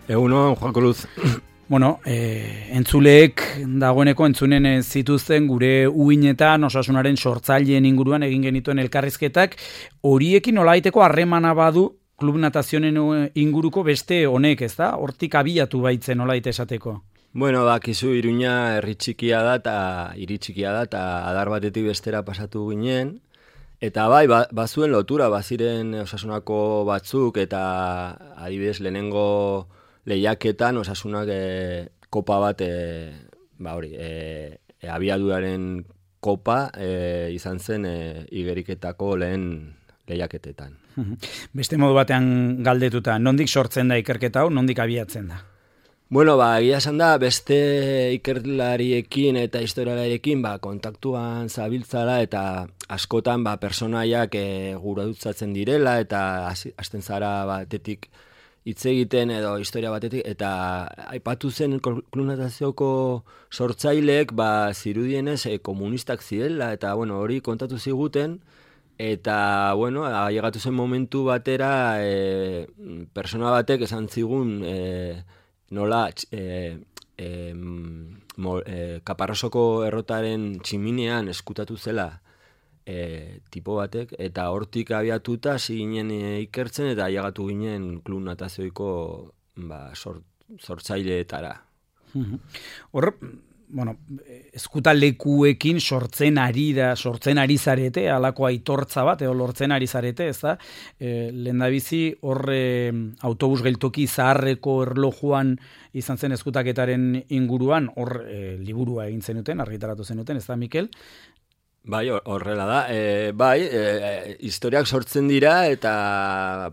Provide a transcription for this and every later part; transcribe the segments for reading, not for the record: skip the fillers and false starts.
Egunon, Juan Cruz. Bueno, entzuleek dagoeneko entzunen zituzten gure uinetan osasunaren sortzaileen inguruan egin genituen elkarrizketak, horiekin nolabaiteko harremana badu klub natazionen inguruko beste honek, ez da? Hortik abiatu baitzen nolabait esateko. Bueno, bakizu Iruña herri txikia da eta hiri txikia da eta adar batetik bestera pasatu ginen. Eta bai, bazuen lotura, baziren osasunako batzuk eta adibidez lehenengo lehiaketan osasunak kopa bat, abiaduraren kopa izan zen igeriketako lehen lehiaketetan. Beste modu batean galdetuta, nondik sortzen da ikerketa hau, nondik abiatzen da? Bueno, egia esan da, beste ikerlariekin eta historialariekin kontaktuan zabiltzala eta askotan personaiak guradutzatzen direla eta hasten zara batetik hitz egiten edo historia batetik, eta aipatu zen klub-natazioko sortzaileek zirudienez komunistak zirela, eta hori kontatu ziguten, eta ailegatu zen momentu batera persona batek esan zigun nola Kaparrosoko errotaren tximinean eskutatu zela tipo batek, eta hortik abiatuta ginen ikertzen eta ailegatu ginen klub natazioiko sortzaileetara. Hor, eskutalekuekin sortzen ari zarete, halako aitortza bat, edo lortzen ari zarete, ez da? Lehendabizi hor autobus geltoki zaharreko erlojuan izan zen eskutaketaren inguruan, hor liburua egin zenuten, argitaratu zenuten, ez da, Mikel? Bai, horrela da. Historiak sortzen dira eta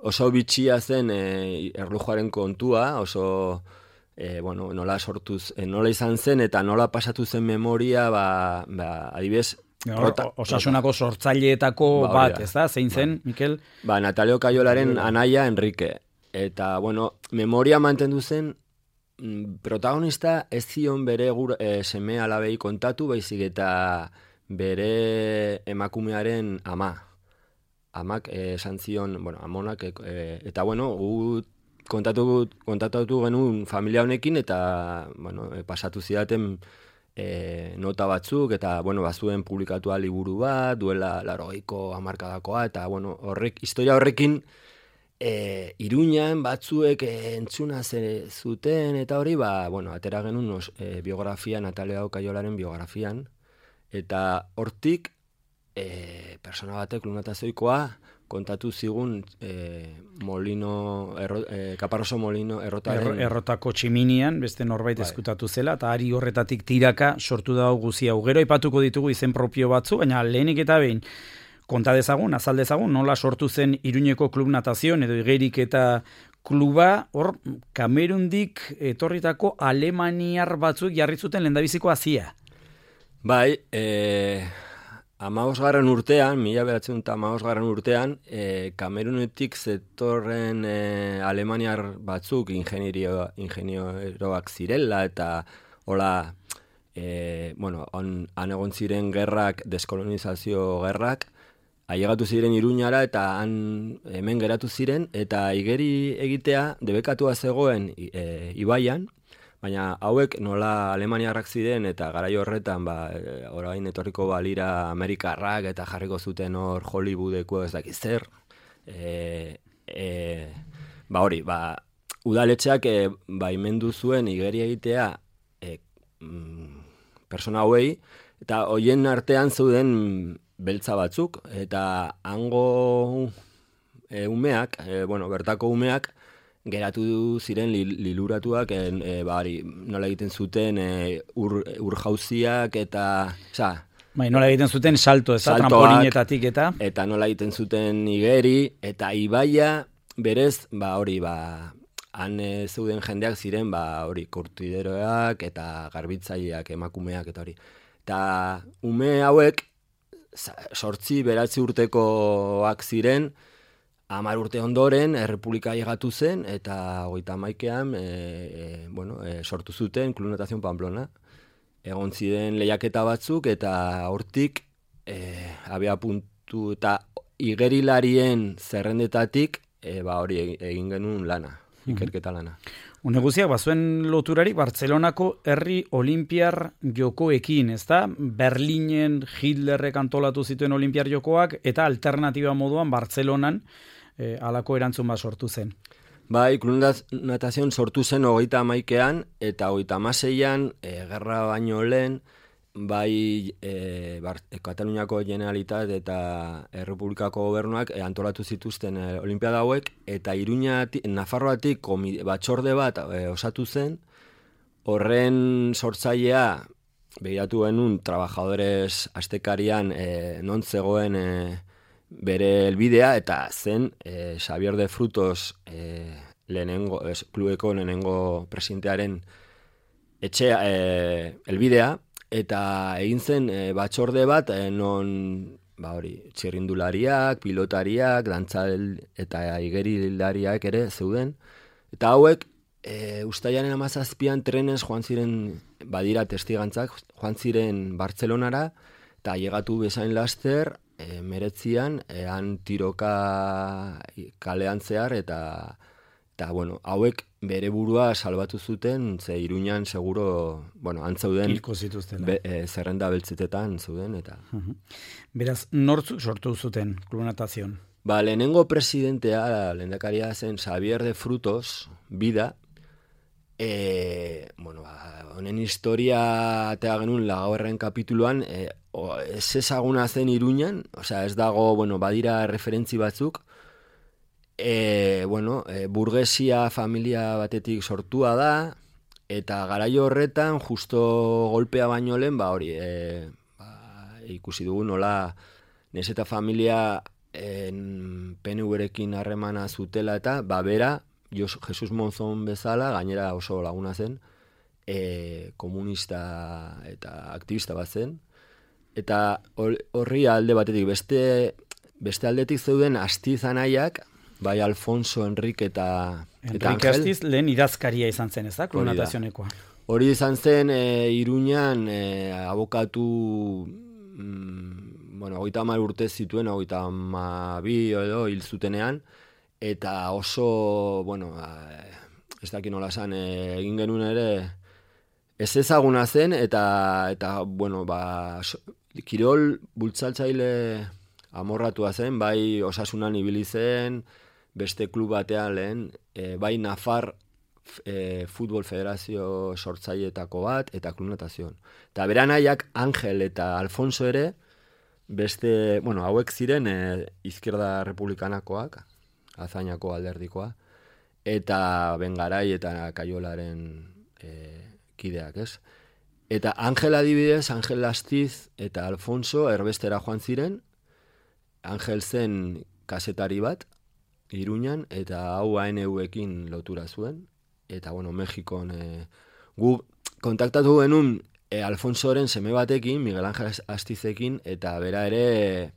oso bitxia zen erlojuaren kontua, oso nola izan zen eta nola pasatu zen memoria, adibidez, osasunako sortzaileetako bat, ez da? Zein zen, Mikel? Natalio Kaiolaren anaia Enrique. Eta, memoria mantendu zen, protagonista ez zion bere seme alabei kontatu, baizik eta bere emakumearen ama. Amak esan zion, amonak, eta gu kontatu genuen familia honekin, eta pasatu zidaten nota batzuk, eta bazuen publikatua liburu bat, duela 80ko hamarkadakoa, eta historia horrekin Iruñan batzuek entzuna zuten, eta hori, atera genuen biografia, Natalio Kaiolaren biografian, eta hortik persona batek klub-natazioikoa kontatu zigun Kaparroso Molino errotaren... Errotako tximinian, beste norbait eskutatu zela, eta ari horretatik tiraka sortu da guzia. Gero aipatuko ditugu izen propio batzu, baina lehenik eta behin, konta dezagun, azal dezagun, nola sortu zen Iruñeko klub natazioen edo igerik eta kluba, hor, Kamerundik etorritako alemaniar batzuk jarri zuten lehendabiziko hazia. Bai, 15. urtean, 1915 urtean, Kamerunetik zetorren alemaniar batzuk ingenieroak zirela, eta hola, han egon ziren gerrak, deskolonizazio gerrak, ailegatu ziren Iruñara eta hemen geratu ziren, eta igeri egitea debekatua zegoen ibaian, baina hauek nola alemaniarrak ziren eta garai horretan orain etorriko balira Amerikarrak eta jarriko zuten hor Hollywoodeko ez dakiz zer. Udaletxeak baimendu zuen igeri egitea persona hauei, eta hoien artean zeuden beltza batzuk, eta hango umeak, bertako umeak, geratu ziren liluratuak, nola egiten zuten ur jauziak eta... nola egiten zuten salto, trampolinetatik eta... Eta nola egiten zuten igeri, eta ibaia berez, han zeuden jendeak ziren, kurtideroak eta garbitzaileak, emakumeak eta hori. Eta ume hauek, 8-9 urtekoak ziren, 10 urte ondoren errepublika ailegatu zen, eta 31ean sortu zuten Klub Natazion Pamplona. Egon ziren lehiaketa batzuk, eta hortik abia puntu eta igerilarien zerrendetatik hori egin genuen lana, ikerketa lana. Une guztiak, bazuen loturari Bartzelonako herri olimpiar jokoekin, ezta? Berlinen Hitlerrek antolatu zituen olimpiar jokoak, eta alternatiba moduan Bartzelonan halako erantzun bat sortu zen. Bai, Club Natación sortu zen 31ean eta 36ean, gerra baino lehen, bai Kataluniako Generalitat eta Errepublikako gobernuak antolatu zituzten olimpiada hauek, eta Nafarroatik batzorde bat osatu zen, horren sortzailea begiratu genuen Trabajadores astekarian non zegoen bere helbidea, eta zen Xavier de Frutos klubeko lehenengo presidentearen etxea helbidea, eta egin zen batzorde bat non txirrindulariak, pilotariak, dantzal eta igerilariak ere zeuden, eta hauek uztailaren 17an trenez joan ziren, badira testigantzak, joan ziren Bartzelonara, eta llegatu bezain laster, 19 han tiroka kalean zehar, eta hauek bere burua salbatu zuten, ze Iruñan seguro, antzeuden hilko zituzten. Zerrenda beltzetetan zeuden, eta... Beraz, nortzuk sortu zuten Club Natación? Lehenengo presidentea, lehendakaria zen Xavier de Frutos, bida, honen historia atea genuen lagaurren kapituluan, ez ezaguna zen Iruñan, ez dago, badira referentzi batzuk, burgesia familia batetik sortua da, eta garaio horretan, justo golpea baino lehen, ikusi dugu nola, nez eta familia PNV-rekin harremana zutela, eta bera, Jesus Monzon bezala, gainera oso laguna zen, komunista eta aktivista bat zen, eta horri alde batetik, beste aldetik zeuden Astiz anaiak, bai Alfonso, Enrique eta Enrique Astiz lehen idazkaria izan zen, ez da, Club Natazionekoa? Hori izan zen Iruñan abokatu, 30 urte zituen, 32 edo hil zutenean, eta oso, ez dakit nola esan, egin genuen ere, ez ezaguna zen, eta kirol bultzatzaile amorratua zen, bai Osasunan ibili zen, beste klub batean lehen, bai Nafar Futbol Federazio sortzailetako bat, eta Club Natación. Eta beranaiak Angel eta Alfonso ere, beste, hauek ziren Izquierda Republikanakoak, Azainako alderdikoa, eta Bengarai eta Kaiolaren kideak, ez? Eta Angel adibidez, Angel Astiz eta Alfonso erbestera joan ziren, Angel zen kazetari bat, Iruñan, eta hau ANU-ekin lotura zuen, eta, Mexikon, gu kontaktatu genuen Alfonsoren seme batekin, Miguel Angel Astizekin, eta bera ere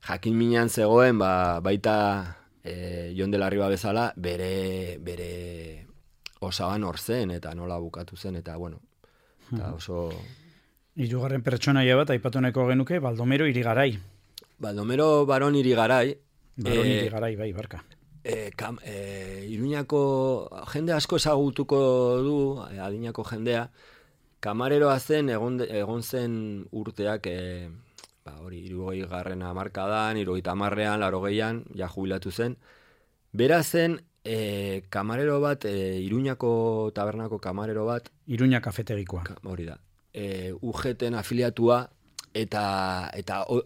jakin minan zegoen, baita Jon de la Riva bezala, bere osaban hor zen, eta nola bukatu zen, eta, eta oso... Hirugarren pertsonaia bat, aipatu nahiko genuke, Baldomero Irigaray. Baldomero Baron Irigaray. Baron Irigaray, bai, barka. Iruñako jende asko ezagutuko du, adinako jendea, kamareroa zen, egon zen urteak, 60. hamarkadan, 70ean, 80ean, ja jubilatu zen. Bera zen, kamarero bat, Iruñako tabernako kamarero bat. Iruña kafetegikoa. Hori da. UGT-en afiliatua, eta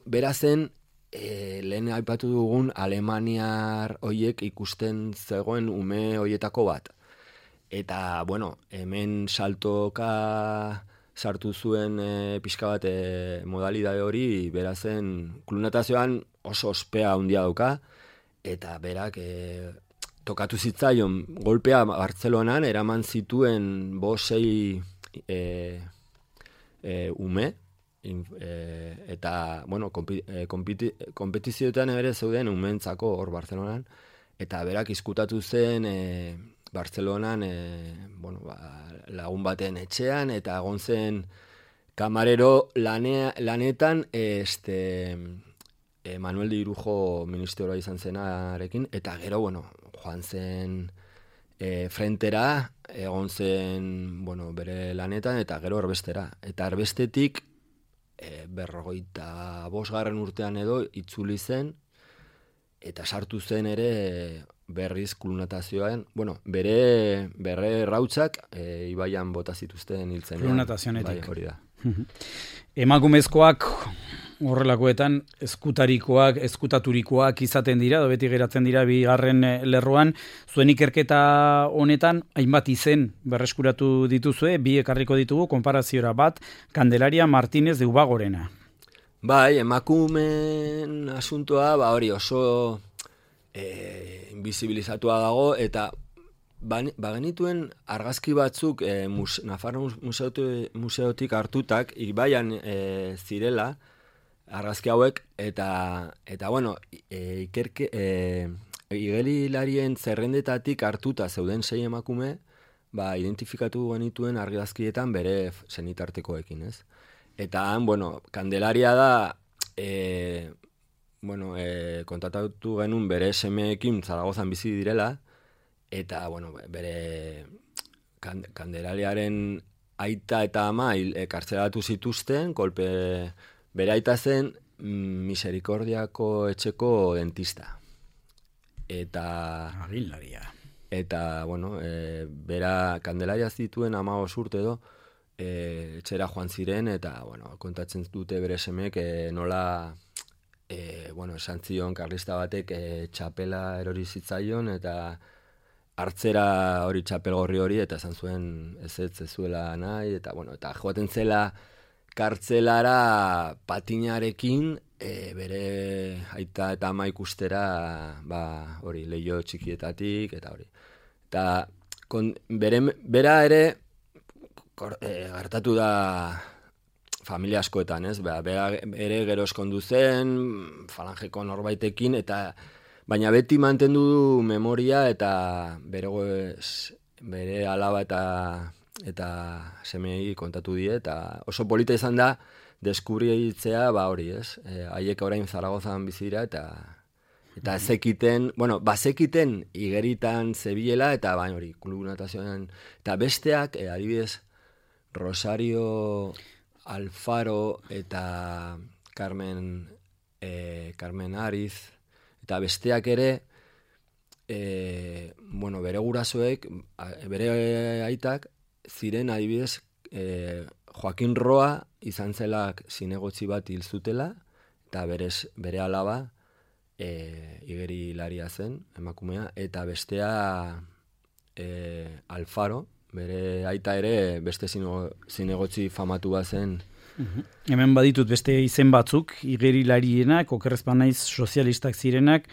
bera zen, lehen aipatu dugun Alemaniar hoiek ikusten zegoen ume hoietako bat. Eta, hemen saltoka sartu zuen pixka bat modalidade hori, bera zen Club Natazioan oso ospea handia dauka, eta berak tokatu zitzaion golpea Bartzelonan, eraman zituen 5-6 ume, eta, kompetizioetan ere zeuden umentzako hor Bartzelonan, eta berak izkutatu zen Bartzelonan, lagun baten etxean, eta egon zen kamarero lanetan, Manuel de Irujo ministroa izan zenarekin, eta gero, bueno, joan zen frentera, egon zen, bueno, bere lanetan, eta gero erbestera. Eta erbestetik, 45. urtean edo, itzuli zen, eta sartu zen ere berriz klunatazioan, bueno, bere rautzak ibaian bota zituzten hiltzen. Klunatazionetik. Bai, hori da. Emakumezkoak horrelakoetan eskutaturikoak izaten dira, beti geratzen dira bigarren lerroan. Zuen ikerketa honetan, hainbat izen berreskuratu dituzue, bi ekarriko ditugu, konparaziora bat, Candelaria Martínez de Ubagorena. Bai, emakumen asuntoa, hori oso invisibilizatua dago, eta bagenituen argazki batzuk Nafarro museotik hartutak, ibaian zirela, argazki hauek, eta bueno, igerilarien zerrendetatik hartuta zeuden 6 emakume, identifikatu genituen argazkietan bere senitartekoekin, ez? Eta han, bueno, Candelaria da, kontatatu genuen bere semeekin Zaragozan bizi direla, eta, bueno, bere Candelariaren aita eta ama kartzelatu zituzten, kolpe bere aita zen Misericordiako etxeko dentista. Eta... Agilaria. Eta, bueno, bera Candelaria zituen 15 urte edo, etxera joan ziren, eta, bueno, kontatzen dute bere semek nola, esan zion karlista batek txapela erori zitzaion, eta hartzera hori txapelgorri hori, eta esan zuen ez zuela nahi, eta, bueno, eta joaten zela kartzelara patinarekin, bere aita eta ama ikustera, hori, leio txikietatik, eta hori. Eta bera ere, gertatu da familia askoetan, ez? Bera ere gero eskondu zen, falangeko norbaitekin, baina beti mantendu du memoria eta bere alaba eta semei kontatu die, eta oso polita izan da deskubritzea, hori, ez? Haiek orain Zaragozan bizi dira, eta ezekiten, bazekiten igeritan zebilela, eta hori, klubunatazioan, eta besteak, adibidez, Rosario Alfaro eta Carmen Ariz, eta besteak ere, bere gurasoek, bere aitak, ziren adibidez, Joaquin Roa izan zelak zinegotzi bat hil zutela, eta bere alaba igerilaria zen, emakumea, eta bestea Alfaro, bere aita ere beste zinegotzi famatu bat zen. Hemen baditut beste izen batzuk, igerilarienak, okerrezpan naiz sozialistak zirenak,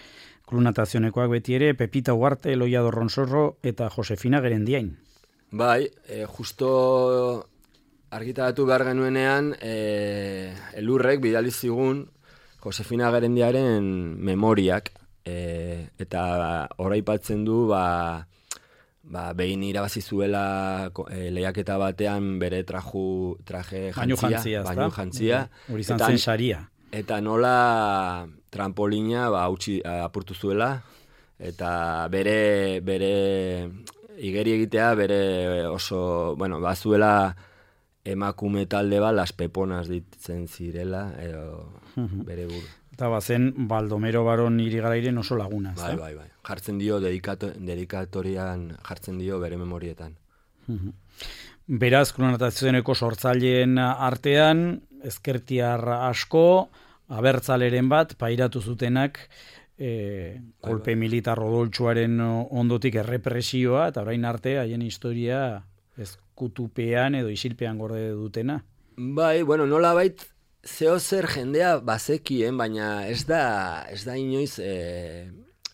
klunatazionekoak beti ere, Pepita Ugarte, Eloia Dorronsorro eta Josefina Gerendiain. Bai, justo argitaratu behar genuenean, elurrek bidali zigun Josefina Gerendiaren memoriak, eta oraipatzen du, behin irabazi zuela lehiaketa batean bere traje jantzia, bainu jantzia. Hori izan zen saria. Eta nola trampolina apurtu zuela, eta bere igeri egitea, bere oso, bazuela emakume talde Las Peponas ditzen zirela, bere buru. Eta bazen Baldomero Baron Irigarairen oso laguna. Bai. Jartzen dio, dedikatorian jartzen dio bere memorietan. Beraz, klonatazioeneko sortzaileen artean, ezkertiar asko, abertzaleren bat, pairatu zutenak, kolpe militar odoltsuaren ondotik errepresioa, eta orain arte, haien historia ezkutupean edo isilpean gorde dutena. Bai, nola bait, zeo zer jendea bazekien, baina ez da inoiz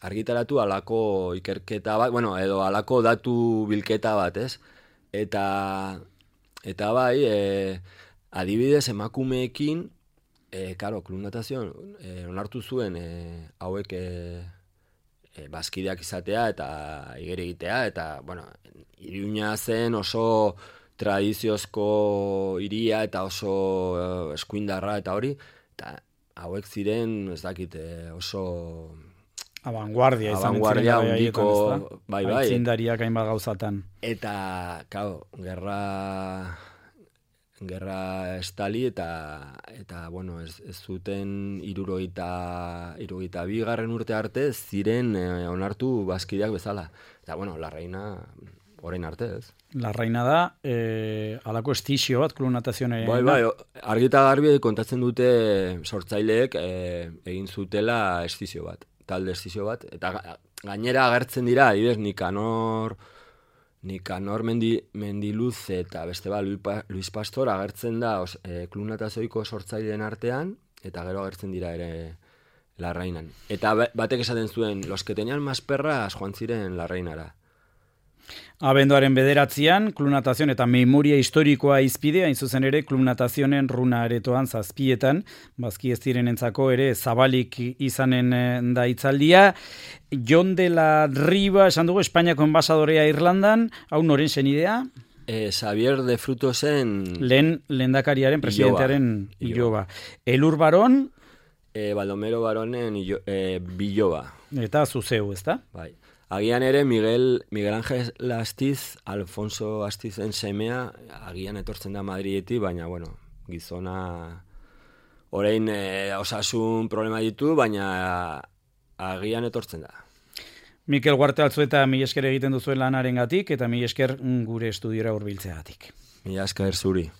argitaratu alako ikerketa bat, edo alako datu bilketa bat, ez? Eta bai, adibidez emakumeekin, klunatazioan, onartu zuen hauek bazkideak izatea eta igeri egitea, eta, Iruña zen oso tradiziozko hiria eta oso eskuindarra eta hori, eta hauek ziren, ez dakit, oso... Abanguardia handiko, bai. Aitzindariak hainbat gauzatan. Eta, claro, gerra estali eta bueno, ez zuten 72. Urte arte ziren onartu bazkideak bezala. Eta, bueno, la reina... orain arte, ez? La reina da, alako estizio bat, klunatazioen... Bai, argita garbi kontatzen dute sortzaileek egin zutela estizio bat, talde estizio bat, eta gainera agertzen dira, adibidez, Nikanor Mendiluz eta beste Luis Pastor agertzen da klunatazioiko sortzaileen artean, eta gero agertzen dira ere la reinan. Eta batek esaten zuen, los que tenían más perras joan ziren la reinara. Abenduaren 9, klunatazion eta memoria historikoa izpide, hain zuzen ere klunatazionen runa aretoan 7, bazki ez direnentzako ere zabalik izanen da hitzaldia. Jon de la Riva, esan dugu, Espainiako enbasadorea Irlandan, hau noren senidea? Xavier de Frutosen... Lehendakariaren, presidentearen iloba. Elur Baron? Baldomero Baronen biloba. Eta zuzeu, ezta? Bai. Agian ere Miguel Ángel Astiz, Alfonso Astizen semea, agian etortzen da Madridetik, baina, bueno, gizona orain osasun problema ditu, baina agian etortzen da. Mikel Guarte Altzueta, mila esker egiten duzuen lanarengatik eta mila esker gure estudiora hurbiltzeagatik. Mila esker zuri.